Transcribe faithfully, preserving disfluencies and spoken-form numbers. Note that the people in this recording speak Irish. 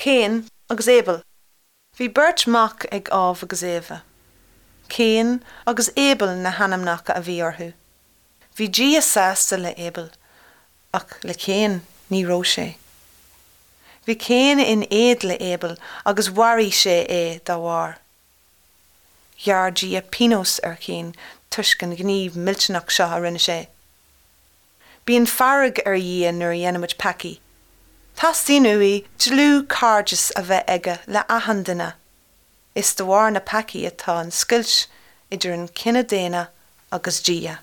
Cain agus Abel. Bhí beirt mhac ag Ádhamh agus Éabha. Cain agus Abel na hainmneacha a bhí orthu. Bhí Dia sásta le Abel, ach le Cain ní raibh sé. Bhí Cain in éad le Abel agus mharaigh sé é dá bharr. Ghearr Dia pionós ar Chain toisc an gníomh millteanach seo a rinne sé. Bíonn fearg ar Dhia nuair a dhéanaimid peacaí. Teastaíonn uaidh dlúthchairdeas a bheith aige le achan duine. Is de bharr na peacaí atá an scoilt idir an cine daonna agus Dia.